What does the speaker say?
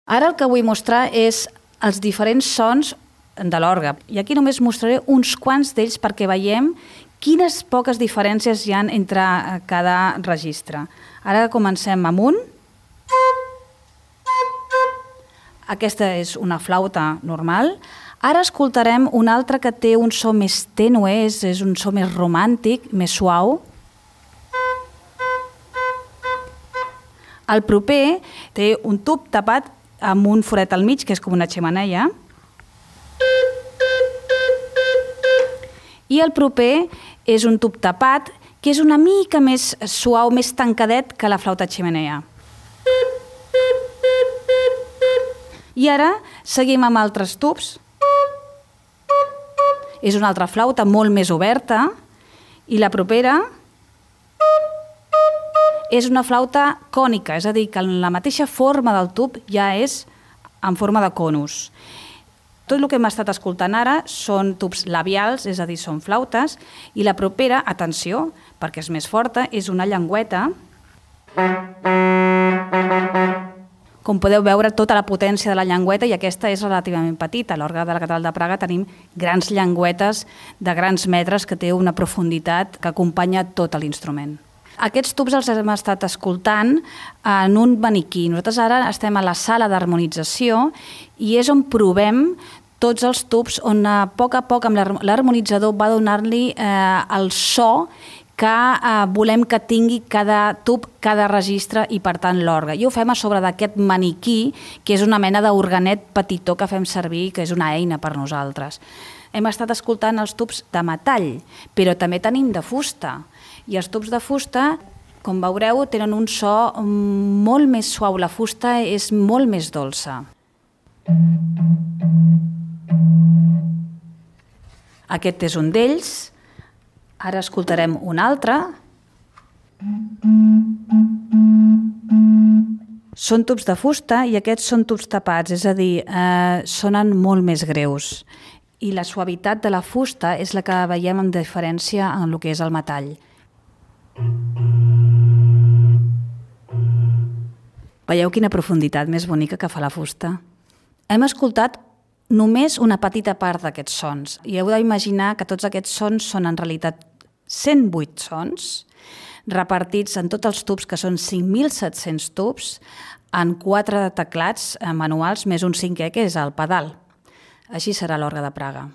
Ara el que vull mostrar és els diferents sons de l'orgue. I aquí només mostraré uns quants d'ells perquè veiem quines poques diferències hi ha entre cada registre. Ara comencem amb un. Aquesta és una flauta normal. Ara escoltarem un altre que té un so més tènue, és un so més romàntic, més suau. El proper té un tub tapat amb un forat al mig, que és com una xemeneia. I el proper és un tub tapat, que és una mica més suau, més tancadet que la flauta xemeneia. I ara seguim amb altres tubs. És una altra flauta molt més oberta. I la propera és una flauta cònica, és a dir, que la mateixa forma del tub ja és en forma de conus. Tot el que hem estat escoltant ara són tubs labials, és a dir, són flautes, i la propera, atenció, perquè és més forta, és una llengüeta. Com podeu veure, tota la potència de la llengüeta, i aquesta és relativament petita. A l'orgue de la Catedral de Praga tenim grans llengüetes de grans metres que té una profunditat que acompanya tot l'instrument. Aquests tubs els hem estat escoltant en un maniquí. Nosaltres ara estem a la sala d'harmonització i és on provem tots els tubs, on a poc amb l'harmonitzador va donar-li el so que volem que tingui cada tub, cada registre i, per tant, l'orgue. I ho fem a sobre d'aquest maniquí, que és una mena d'organet petitó que fem servir, que és una eina per nosaltres. Hem estat escoltant els tubs de metall, però també tenim de fusta. I els tubs de fusta, com veureu, tenen un so molt més suau. La fusta és molt més dolça. Aquest és un d'ells. Ara escoltarem un altre. Són tubs de fusta i aquests són tubs tapats, és a dir, sonen molt més greus. I la suavitat de la fusta és la que veiem amb diferència en el que és el metall. Veieu quina profunditat més bonica que fa la fusta? Hem escoltat només una petita part d'aquests sons i heu d'imaginar que tots aquests sons són en realitat 108 sons repartits en tots els tubs, que són 5.700 tubs, en 4 teclats manuals més un cinquè, que és el pedal. Així serà l'orgue de Praga.